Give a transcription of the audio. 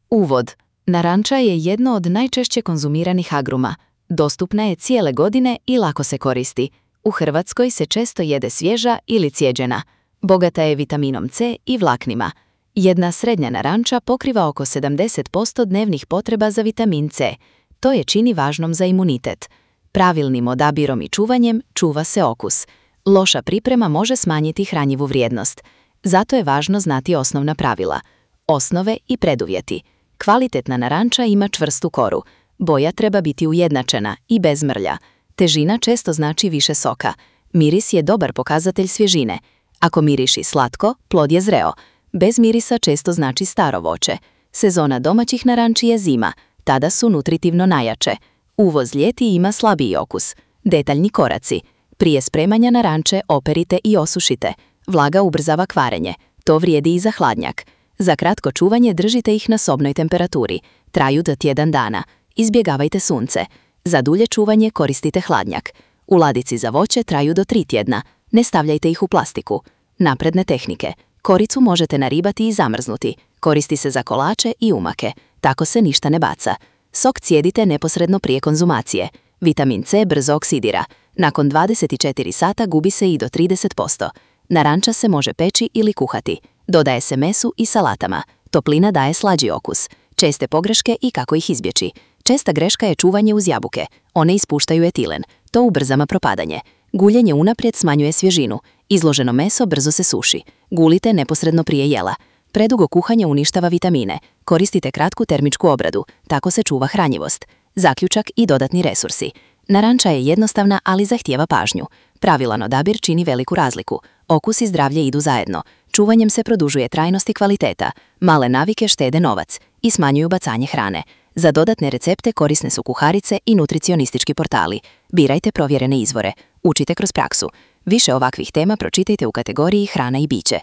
Uvod. Naranča je jedno od najčešće konzumiranih agruma. Dostupna je cijele godine i lako se koristi. U Hrvatskoj se često jede svježa ili cijeđena. Bogata je vitaminom C i vlaknima. Jedna srednja naranča pokriva oko 70% dnevnih potreba za vitamin C. To je čini važnom za imunitet. Pravilnim odabirom i čuvanjem čuva se okus. Loša priprema može smanjiti hranjivu vrijednost. Zato je važno znati osnovna pravila. Osnove i preduvjeti. Kvalitetna naranča ima čvrstu koru. Boja treba biti ujednačena i bez mrlja. Težina često znači više soka. Miris je dobar pokazatelj svježine. Ako miriši slatko, plod je zreo. Bez mirisa često znači staro voće. Sezona domaćih naranči je zima. Tada su nutritivno najjače. Uvoz ljeti ima slabiji okus. Detaljni koraci. Prije spremanja naranče operite i osušite. Vlaga ubrzava kvarenje. To vrijedi i za hladnjak. Za kratko čuvanje držite ih na sobnoj temperaturi. Traju do tjedan dana. Izbjegavajte sunce. Za dulje čuvanje koristite hladnjak. U ladici za voće traju do 3 tjedna. Ne stavljajte ih u plastiku. Napredne tehnike. Koricu možete naribati i zamrznuti. Koristi se za kolače i umake. Tako se ništa ne baca. Sok cijedite neposredno prije konzumacije. Vitamin C brzo oksidira. Nakon 24 sata gubi se i do 30%. Naranča se može peći ili kuhati. Dodaje se mesu i salatama. Toplina daje slađi okus. Česte pogreške i kako ih izbjeći. Česta greška je čuvanje uz jabuke. One ispuštaju etilen. To ubrzava propadanje. Guljenje unaprijed smanjuje svježinu. Izloženo meso brzo se suši. Gulite neposredno prije jela. Predugo kuhanje uništava vitamine. Koristite kratku termičku obradu. Tako se čuva hranjivost. Zaključak i dodatni resursi. Naranča je jednostavna, ali zahtijeva pažnju. Pravilan odabir čini veliku razliku. Okus i zdravlje idu zajedno. Čuvanjem se produžuje trajnost i kvaliteta. Male navike štede novac i smanjuju bacanje hrane. Za dodatne recepte korisne su kuharice i nutricionistički portali. Birajte provjerene izvore. Učite kroz praksu. Više ovakvih tema pročitajte u kategoriji hrana i biće.